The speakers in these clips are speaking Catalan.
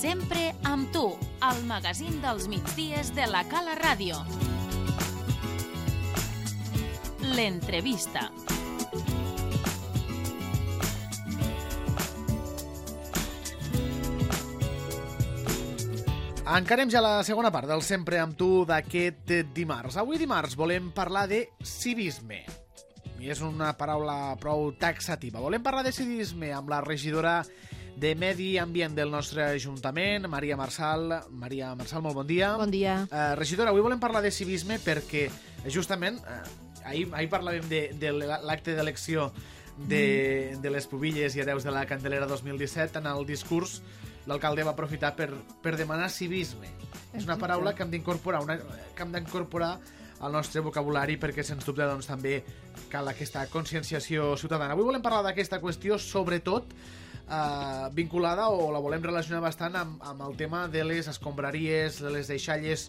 Sempre amb tu, al magazín dels migdies de la Cala Ràdio. L'entrevista. Encarem ja la segona part del Sempre amb tu d'aquest dimarts. Avui dimarts volem parlar de civisme. I és una paraula prou taxativa. Volem parlar de civisme amb la regidora de Medi Ambient del nostre Ajuntament, Maria Marçal. Maria Marçal, molt bon dia. Bon dia. Regidora, avui volem parlar de civisme perquè justament ahir parlàvem de l'acte d'elecció de les pubilles i hereus de la Candelera 2017. En el discurs l'alcalde va aprofitar per demanar civisme. És una paraula que hem d'incorporar al nostre vocabulari perquè, sens dubte, doncs, també cal aquesta conscienciació ciutadana. Avui volem parlar d'aquesta qüestió, sobretot vinculada, o la volem relacionar bastant amb el tema de les escombraries, de les deixalles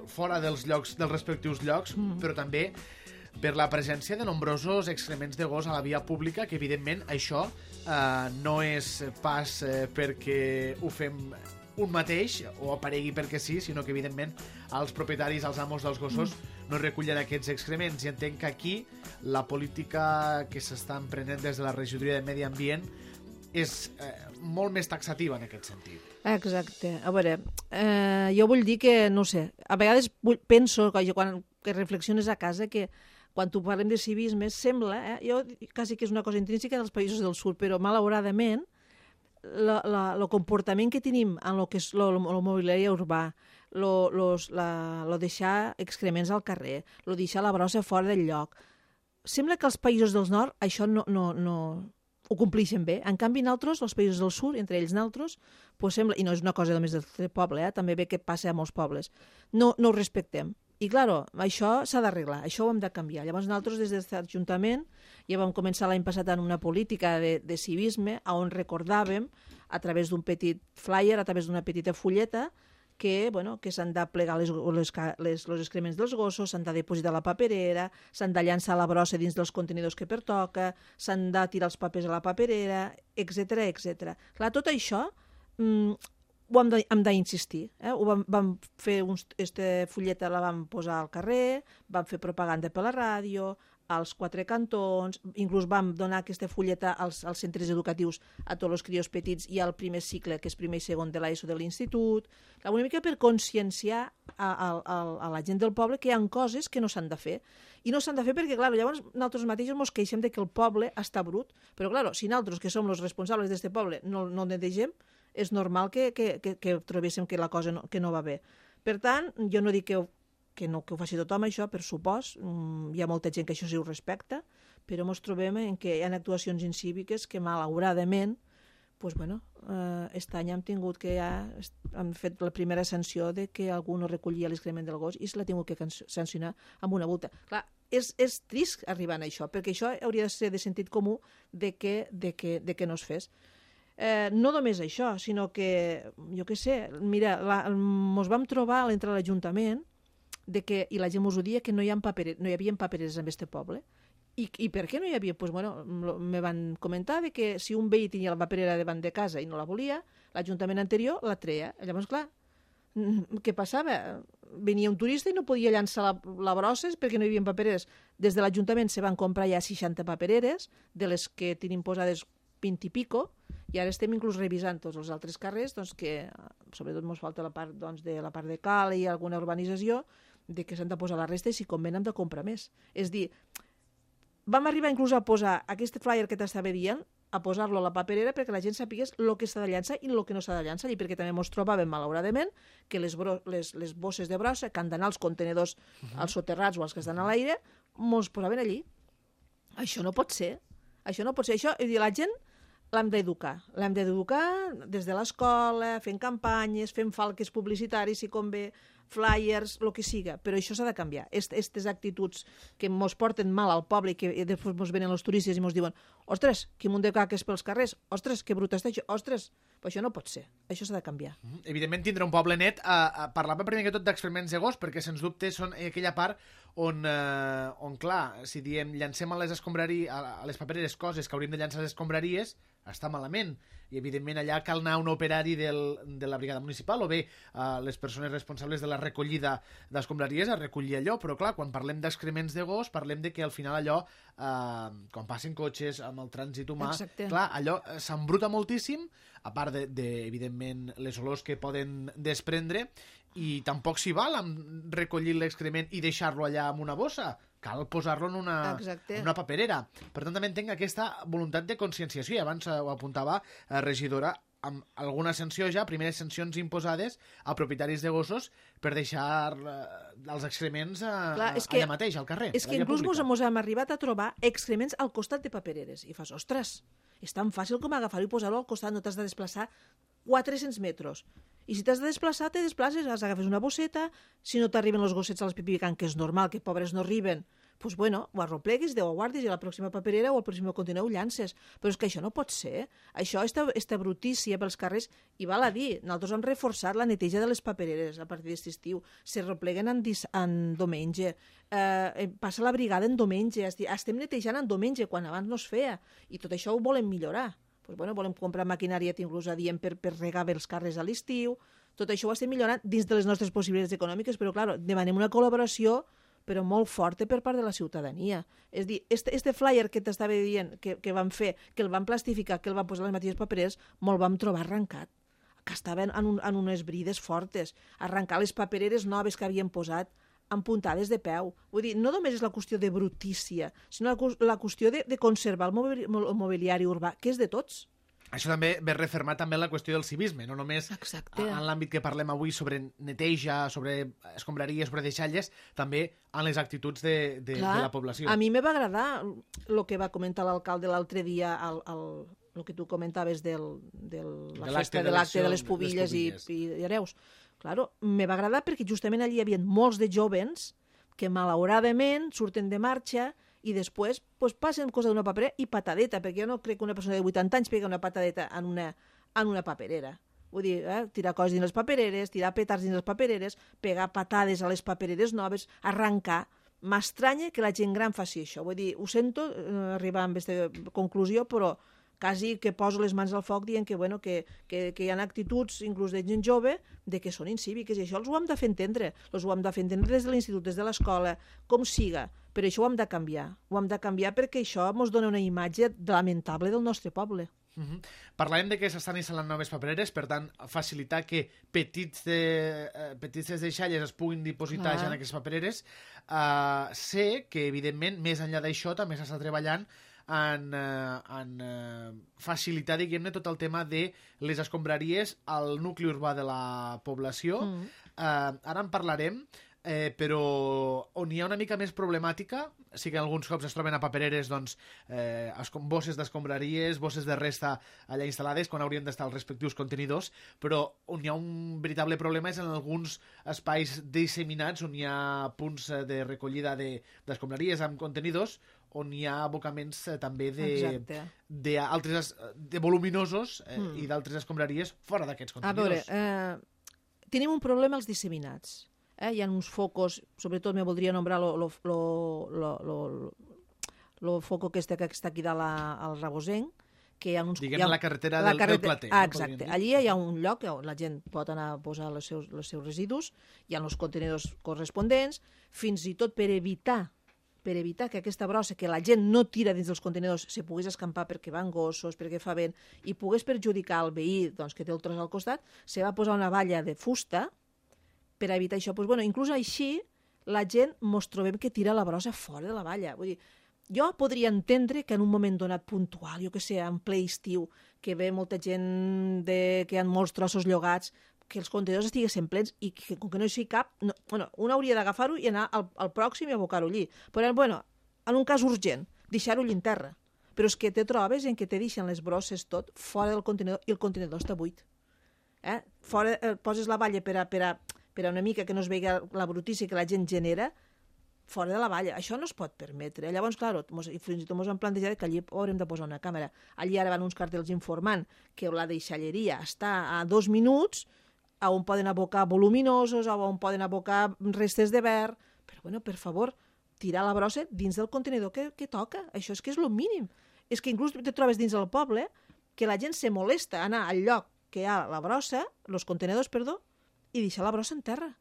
fora dels respectius llocs, però també per la presència de nombrosos excrements de gos a la via pública, que evidentment això no és pas perquè ho fem un mateix o aparegui perquè sí, sinó que evidentment els propietaris, els amos dels gossos no recullen aquests excrements, i entenc que aquí la política que s'està emprenent des de la regidoria de Medi Ambient és molt més taxativa en aquest sentit. Exacte. A veure, jo vull dir que, no sé, a vegades penso, quan reflexiones a casa, que quan tu parlem de civisme sembla, jo quasi que és una cosa intrínseca dels països del sud, però malauradament el comportament que tenim en el que és el mobiliari urbà, lo deixar excrements al carrer, lo deixar la brossa fora del lloc, sembla que els països del nord això no ho complixen bé. En canvi, nosaltres, els països del sud, entre ells nosaltres, pues sembla, i no és una cosa només del poble, també ve que passa a molts pobles, no ho respectem. I, clar, això s'ha d'arreglar, això ho hem de canviar. Llavors, nosaltres, des de l'Ajuntament, ja vam començar l'any passat en una política de civisme, on recordàvem, a través d'un petit flyer, a través d'una petita fulleta, que s'han de plegar els excrements dels gossos, s'han de dipositar a la paperera, s'han de llançar la brossa dins dels contenidors que pertoca, s'han de tirar els papers a la paperera, etc etc. Clar, tot això ho hem d'insistir. Vam fer aquesta fulleta, la vam posar al carrer, vam fer propaganda per la ràdio, als 4 cantons, inclús vam donar aquesta fulleta als centres educatius a tots els crios petits i al primer cicle, que és primer i segon de l'ESO de l'institut, una mica per conscienciar a la gent del poble que hi ha coses que no s'han de fer. I no s'han de fer perquè, clar, llavors nosaltres mateixos ens queixem de que el poble està brut, però, clar, si nosaltres, que som els responsables d'aquest poble, no netegem, és normal que trobéssim que la cosa no va bé. Per tant, jo no dic que ho faci tothom, això, per supost. Hi ha molta gent que això sí ho respecta, però ens trobem en que hi ha actuacions incíviques que, malauradament, aquest any hem tingut que hem fet la primera sanció de que algú no recollia l'excrement del gos i se l'ha tingut que sancionar amb una multa. Clar, és trist arribar a això, perquè això hauria de ser de sentit comú de que no es fes. No només això, sinó que, jo què sé, mira, ens vam trobar entre l'Ajuntament i la gent us ho dia, que no hi havia papereres en aquest poble. I per què no hi havia? Me van comentar que si un veí tenia la paperera davant de casa i no la volia, l'Ajuntament anterior la treia. Llavors, clar, què passava? Venia un turista i no podia llançar la brossa perquè no hi havia papereres. Des de l'Ajuntament se van comprar ja 60 papereres, de les que tenim posades 20 i pico, i ara estem inclús revisant tots els altres carrers, que sobretot ens falta la part de Cal i alguna urbanització, de que s'han de posar la resta i si convé hem de comprar més. És dir, vam arribar inclús a posar aquest flyer que t'estava dient, a posar-lo a la paperera perquè la gent sapigués el que s'ha de llançar i el que no s'ha de llançar, i perquè també ens trobàvem, malauradament, que les bosses de brossa que han d'anar als contenedors, als soterrats o als que estan a l'aire, ens posaven allí. Això no pot ser. Això, la gent l'hem d'educar des de l'escola, fent campanyes, fent falques publicitaris, si convé, flyers, el que siga, però això s'ha de canviar. Aquestes actituds que ens porten mal al poble i que després ens venen els turistes i ens diuen: ostres, que munt de caques pels carrers, ostres, que brut està això, ostres, Però això no pot ser, això s'ha de canviar. Evidentment, tindre un poble net, parlava primer que tot d'experiments de gos, perquè sens dubte són aquella part on clar, si diem llancem a les escombraries, a les papereres coses que hauríem de llançar a les escombraries, està malament. I, evidentment, allà cal anar un operari de la brigada municipal o bé les persones responsables de la recollida d'escombraries a recollir allò. Però, clar, quan parlem d'excrements de gos, parlem de que al final allò, quan passen cotxes amb el trànsit humà, clar, allò s'embruta moltíssim, a part evidentment, les olors que poden desprendre, i tampoc s'hi val amb recollir l'excrement i deixar-lo allà en una bossa. Cal posar-lo en una paperera. Per tant, també entenc aquesta voluntat de conscienciació, i abans ho apuntava regidora, amb alguna sanció ja, primeres sancions imposades a propietaris de gossos per deixar els excrements allà mateix, al carrer. És que inclús mos hem arribat a trobar excrements al costat de papereres. I fas, ostres, és tan fàcil com agafar-ho i posar-lo al costat, no t'has de desplaçar 400 metres. I si t'has de desplaçar, te desplaces, agafes una bosseta, si no t'arriben els gossets a l'espipicant, que és normal, que pobres no arriben, doncs bueno, ho arropleguis, ho guardis i a la pròxima paperera o al pròxim contenidor ho llances. Però és que això no pot ser. Això, esta brutícia pels carrers, i val a dir, nosaltres hem reforçat la neteja de les papereres a partir d'aquest estiu, se repleguen en diumenge, passa la brigada en diumenge, estem netejant en diumenge, quan abans no es feia, i tot això ho volem millorar. Pues bueno, volem comprar maquinària inclús adient per regar bé els carrers a l'estiu. Tot això ho estem millorant dins de les nostres possibilitats econòmiques, però, clar, demanem una col·laboració però molt forta per part de la ciutadania. És a dir, este flyer que t'estava dient que van fer, que el van plastificar, que el van posar a les mateixes papereres, me'l vam trobar arrencat, que estaven en unes brides fortes, arrencar les papereres noves que havien posat amb puntades de peu. Vull dir, no només és la qüestió de brutícia, sinó la qüestió de conservar el mobiliari urbà, que és de tots. Això també ve refermat també la qüestió del civisme, no només en l'àmbit que parlem avui sobre neteja, sobre escombraries, sobre deixalles, també en les actituds de la població. A mi me va agradar el que va comentar l'alcalde l'altre dia, el que tu comentaves de la festa de l'acte de les pubilles i hereus. Claro, me va agradar perquè justament allí hi havia molts de jovens que malauradament surten de marxa i després passen cosa d'una paperera i patadeta, perquè jo no crec que una persona de 80 anys pega una patadeta en una paperera. Vull dir, tirar coses dins les papereres, tirar petards dins les papereres, pegar patades a les papereres noves, arrencar. M'estranya que la gent gran faci això. Vull dir, ho sento arribar a aquesta conclusió, però quasi que poso les mans al foc dient que hi ha actituds, inclús de gent jove, de que són incíviques, i això els ho hem de fer entendre. Els ho hem de fer entendre des de l'institut, des de l'escola, com siga, però això ho hem de canviar. Ho hem de canviar perquè això ens dona una imatge lamentable del nostre poble. Parlàvem de que s'estan instal·lant noves papereres, per tant, facilitar que petites deixalles es puguin dipositar ja en aquestes papereres. Sé que, evidentment, més enllà d'això, també s'està treballant en facilitar, diguem-ne, tot el tema de les escombraries al nucli urbà de la població. Ara en parlarem, però on hi ha una mica més problemàtica, sí que alguns cops es troben a papereres bosses d'escombraries, bosses de resta allà instal·lades, quan haurien d'estar els respectius contenidors, però on hi ha un veritable problema és en alguns espais disseminats on hi ha punts de recollida d'escombraries amb contenidors, on hi ha abocaments també de voluminosos i d'altres escombraries fora d'aquests contenidors. A veure, tenim un problema als disseminats. Hi ha uns focos, sobretot me voldria nombrar el foco que està aquí dalt al Rabosenc, que hi ha uns... Diguem la carretera del Plater. Exacte. Allí hi ha un lloc on la gent pot anar a posar els seus residus, hi ha els contenidors corresponents, fins i tot per evitar que aquesta brossa que la gent no tira dins dels contenidors se pogués escampar perquè van gossos, perquè fa vent, i pogués perjudicar el veí que té el tros al costat, se va posar una valla de fusta per evitar això. Inclús així, la gent mos trobem que tira la brossa fora de la valla. Vull dir, jo podria entendre que en un moment donat puntual, jo que sé, en ple estiu, que ve molta gent que hi ha molts trossos llogats, que els contenidors estiguessin plens i que, com que no hi sigui cap, un hauria d'agafar-ho i anar al pròxim i abocar-ho allí. Però, en un cas urgent, deixar-ho allí en terra. Però és que te trobes en què te deixen les brosses tot fora del contenidor i el contenidor està buit. Poses la valla per a una mica que no es vegi la brutícia que la gent genera, fora de la valla. Això no es pot permetre. Llavors, clar, fins i tot ens han plantejat que allí haurem de posar una càmera. Allí ara van uns cartells informant que la deixalleria està a 2 minuts, on poden abocar voluminosos, on poden abocar restes de verb. Però, bueno, per favor, tirar la brossa dins del contenidor que toca. Això és que és el mínim. És que inclús te trobes dins del poble que la gent se molesta a anar al lloc que hi ha la brossa, els contenidors, perdó, i deixar la brossa en terra.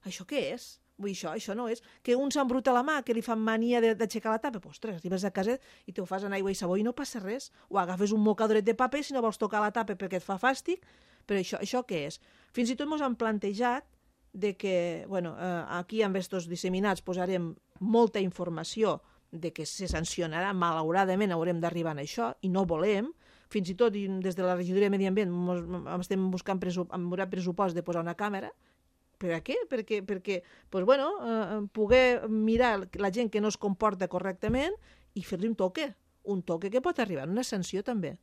Això què és? Vull dir, això no és. Que un s'embruta la mà, que li fan mania d'aixecar la tapa. Pues, ostres, arribes a casa i t'ho fas en aigua i sabó i no passa res. O agafes un mocadoret de paper si no vols tocar la tapa perquè et fa fàstic. Però això què és? Fins i tot ens han plantejat de que, bueno, aquí amb estos disseminats posarem molta informació de que se sancionarà, malauradament haurem d'arribar a això, i no volem. Fins i tot des de la regidoria de Medi Ambient estem buscant pressupost de posar una càmera. Per a què? Perquè pues, bueno, poder mirar la gent que no es comporta correctament i fer-li un toque que pot arribar, una sanció també.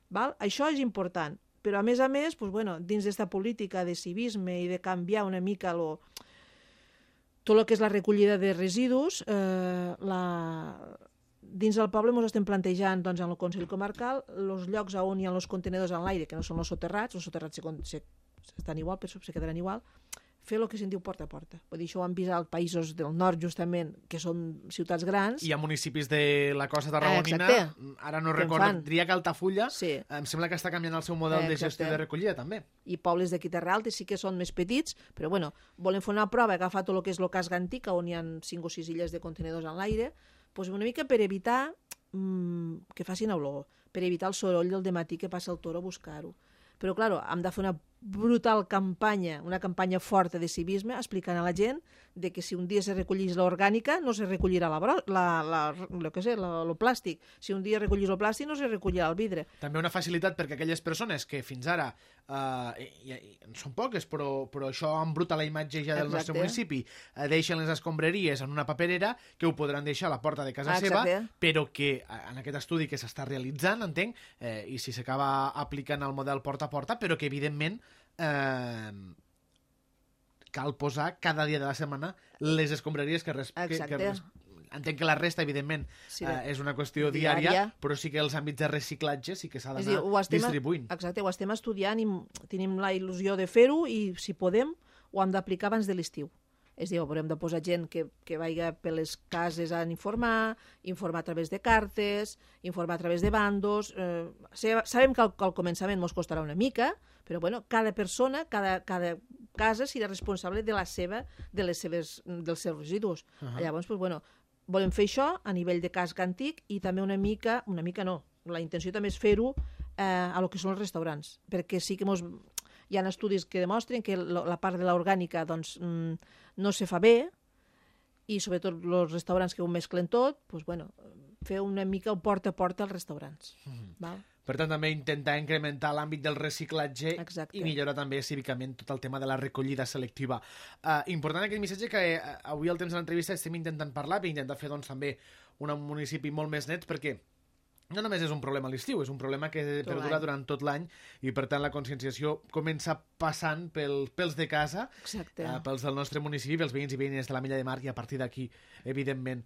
Val? Això és important, però a més, pues, bueno, dins d'esta política de civisme i de canviar una mica tot el que és la recollida de residus, dins del poble ens estem plantejant doncs, en el Consell Comarcal els llocs on hi ha els contenidors en l'aire, que no són els soterrats estan igual, però se quedaran igual, fer el que se'n diu porta a porta. Vull dir, això ho han vist als països del nord, justament, que són ciutats grans. Hi ha municipis de la costa tarragonina, ara no recordo, diria que Altafulla, sí. Em sembla que està canviant el seu model de gestió de recollida, també. I pobles d'aquí Terra Alta sí que són més petits, però bueno, volen fer una prova, agafar tot el que és el casc antic, on hi ha 5 o 6 illes de contenidors en l'aire, doncs una mica per evitar que facin olor, per evitar el soroll del dematí que passa el toro a buscar-ho. Però, clar, hem de fer una brutal campanya, una campanya forta de civisme, explicant a la gent de que si un dia se recollís l'orgànica no se recollirà el plàstic. Si un dia recollís el plàstic no se recollirà el vidre. També una facilitat perquè aquelles persones que fins ara són poques, però això embruta la imatge ja del nostre municipi, deixen les escombraries en una paperera que ho podran deixar a la porta de casa seva, però que en aquest estudi que s'està realitzant, entenc, i si s'acaba aplicant el model porta a porta, però que evidentment cal posar cada dia de la setmana les escombraries que entenc que la resta, evidentment, és una qüestió diària, però sí que els àmbits de reciclatge sí que s'ha d'anar distribuint. Exacte, ho estem estudiant i tenim la il·lusió de fer-ho i, si podem, ho hem d'aplicar abans de l'estiu. És a dir, haurem de posar gent que vagi per les cases a informar a través de cartes, informar a través de bandos. Sabem que al començament ens costarà una mica, però bueno, cada persona, cada casa serà responsable dels seus residus. Llavors, pues, bueno, volem fer això a nivell de casc antic i també una mica no, la intenció també és fer-ho a lo que són els restaurants, perquè sí que hi ha estudis que demostren que la part de l'orgànica doncs, no se fa bé, i sobretot els restaurants que ho mesclen tot, doncs, bueno, fer una mica el porta a porta als restaurants. Val? Per tant, també intentar incrementar l'àmbit del reciclatge i millorar també cívicament tot el tema de la recollida selectiva. Important aquest missatge que avui al temps de l'entrevista estem intentant parlar i intentar fer doncs, també un municipi molt més net, perquè no només és un problema a l'estiu, és un problema que perdura durant tot l'any i, per tant, la conscienciació comença passant pels de casa, pels del nostre municipi, pels veïns i veïnes de la Mella de Mar, i a partir d'aquí, evidentment,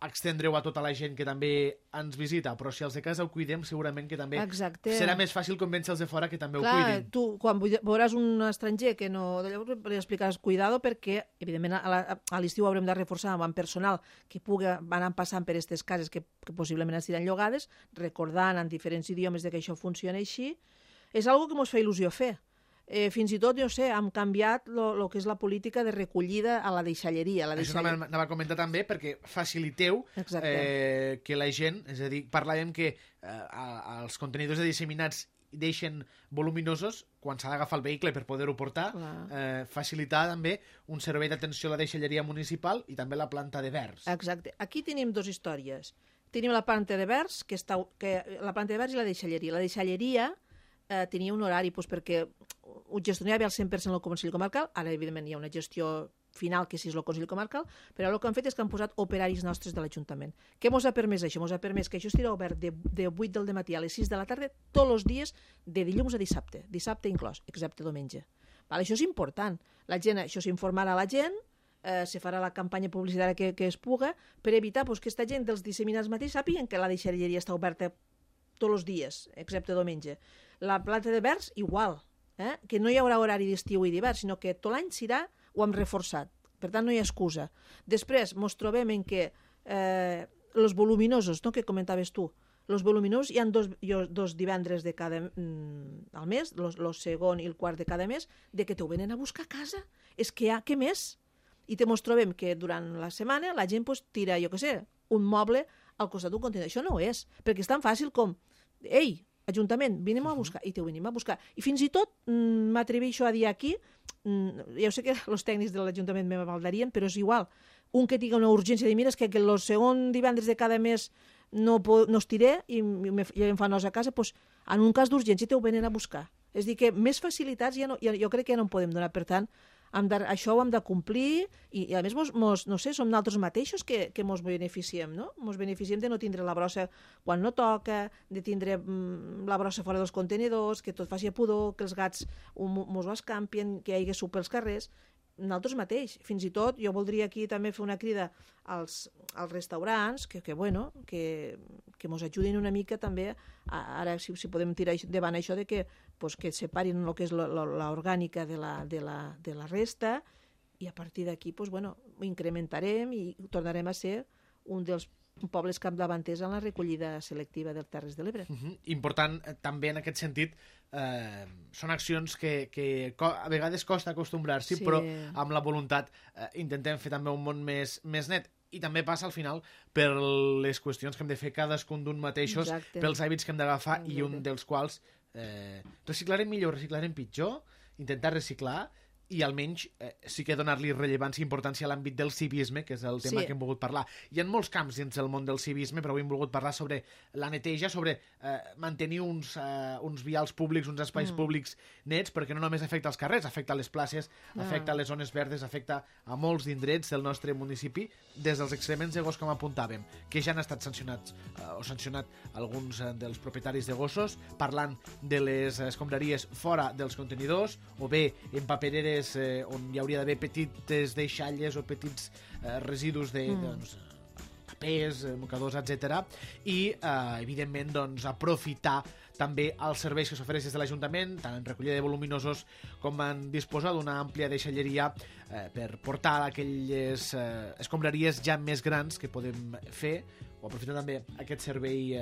extendreu a tota la gent que també ens visita, però si els de casa ho cuidem, segurament que també serà més fàcil convèncer els de fora que també ho cuidin. Tu, quan veuràs un estranger que no... Llavors li explicaràs cuidado, perquè, evidentment, a l'estiu haurem de reforçar amb personal que pugui anar passant per aquestes cases que possiblement estiran llogades, recordant en diferents idiomes que això funciona així. És una cosa que ens fa il·lusió fer. Fins i tot, jo sé, hem canviat el que és la política de recollida a la deixalleria. Això anava a comentar també, perquè faciliteu que la gent, és a dir, parlàvem que els contenidors de disseminats deixen voluminosos quan s'ha d'agafar el vehicle per poder-ho portar, facilitar també un servei d'atenció a la deixalleria municipal i també la planta de verds. Exacte. Aquí tenim dues històries. Tenim la planta de verds, la planta de verds i la deixalleria. La deixalleria tenia un horari perquè ho gestionava al 100% el Consell Comarcal, ara evidentment hi ha una gestió final que sí és el Consell Comarcal, però el que han fet és que han posat operaris nostres de l'Ajuntament. Què ens ha permès això? Ens ha permès que això estigui obert de 8 del matí a les 6 de la tarda tots els dies de dilluns a dissabte inclòs, excepte diumenge. Això és important. La gent, això s'informarà a la gent, se farà la campanya publicitària que es puga per evitar que aquesta gent dels disseminats mateixos sàpiguen que la deixalleria està oberta tots els dies, excepte diumenge. La planta de verds, igual, que no hi haurà horari d'estiu i d'hivern, sinó que tot l'any serà, ho hem reforçat. Per tant, no hi ha excusa. Després, ens trobem en que els voluminosos, que comentaves tu, els voluminosos hi ha dos divendres de cada al mes, el segon i el quart de cada mes, de que t'ho venen a buscar a casa. És que què més? I ens trobem que durant la setmana la gent tira, jo què sé, un moble al costat d'un contenidor. Això no és, perquè és tan fàcil com ei, Ajuntament, vinem a buscar, i t'ho venim a buscar. I fins i tot m'atreveixo a dir aquí, ja sé que els tècnics de l'Ajuntament me valdarien, però és igual, un que tingui una urgència de mira és que el segon divendres de cada mes no estiré i em fa nosa a casa, doncs en un cas d'urgència t'ho venen a buscar. És a dir, que més facilitats jo crec que ja no en podem donar, per tant, això ho hem de complir i a més, no sé, som nosaltres mateixos que ens beneficiem, no? Ens beneficiem de no tindre la brossa quan no toca, de tindre la brossa fora dels contenidors, que tot faci pudor, que els gats ens ho escampien, que hi hagi suc pels carrers. Nosaltres mateix. Fins i tot jo voldria aquí també fer una crida als restaurants que ens ajudin una mica també, ara si podem tirar davant això de que separin el que és l'orgànica de la resta i a partir d'aquí ho incrementarem i tornarem a ser un dels pobles capdavanters en la recollida selectiva dels Terres de l'Ebre. Important també en aquest sentit, són accions que a vegades costa acostumbrar-s'hi, però amb la voluntat intentem fer també un món més net. I també passa al final per les qüestions que hem de fer cadascun d'un mateixos, pels hàbits que hem d'agafar i un dels quals reciclarem millor, reciclarem pitjor, intentar reciclar i almenys sí que donar-li rellevància i importància a l'àmbit del civisme, que és el tema que hem volgut parlar. Hi ha molts camps dins del món del civisme, però avui hem volgut parlar sobre la neteja, sobre mantenir uns vials públics, uns espais públics nets, perquè no només afecta els carrers, afecta les places, afecta les zones verdes, afecta a molts indrets del nostre municipi, des dels excrements de gos, com apuntàvem, que ja han estat sancionats o sancionat alguns dels propietaris de gossos, parlant de les escombraries fora dels contenidors, o bé en papereres on hi hauria d'haver petites deixalles o petits residus de papers, mocadors, etc. I, evidentment, aprofitar també els serveis que s'ofereix des de l'Ajuntament, tant en recollida de voluminosos com en disposar d'una àmplia deixalleria per portar aquelles escombraries ja més grans que podem fer, o aprofitar també aquest servei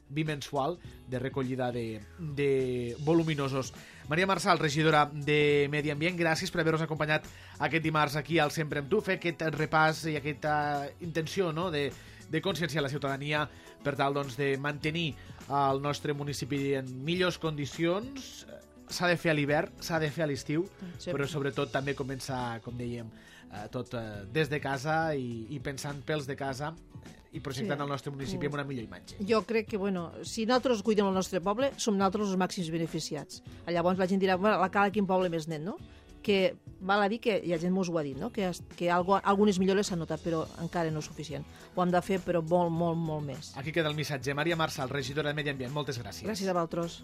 bimensual de recollida de voluminosos. Maria Marçal, regidora de Medi Ambient, gràcies per haver-nos acompanyat aquest dimarts aquí al Sempre amb tu, fer aquest repàs i aquesta intenció de conscienciar la ciutadania per tal de mantenir el nostre municipi en millors condicions. S'ha de fer a l'hivern, s'ha de fer a l'estiu, però sobretot també començar, com dèiem, tot des de casa i pensant pels de casa i projectant el nostre municipi amb una millor imatge. Jo crec que, si nosaltres cuidem el nostre poble, som nosaltres els màxims beneficiats. Llavors la gent dirà, la Cala, quin poble més net, no? Que val a dir que la gent mos ho ha dit, no? Que algunes millores s'han notat, però encara no és suficient. Ho hem de fer, però molt, molt, molt més. Aquí queda el missatge. Maria Marçal, regidora de Medi Ambient, moltes gràcies. Gràcies a vosaltres.